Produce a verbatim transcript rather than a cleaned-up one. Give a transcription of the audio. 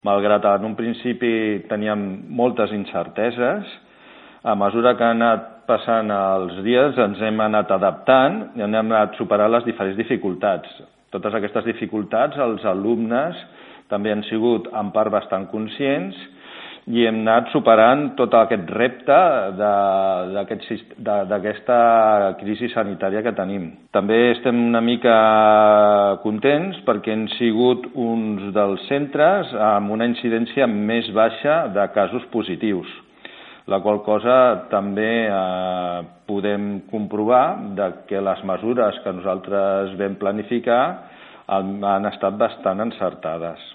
Malgrat en un principi teníem moltes incerteses, a mesura que han anat passant els dies ens hem anat adaptant i hem anat superant les diferents dificultats. Totes aquestes dificultats els alumnes també han sigut en part bastant conscients i hem anat superant tot aquest repte d'aquesta crisi sanitària que tenim. També estem una mica contents perquè hem sigut uns dels centres amb una incidència més baixa de casos positius, la qual cosa també eh, podem comprovar que les mesures que nosaltres vam planificar han estat bastant encertades.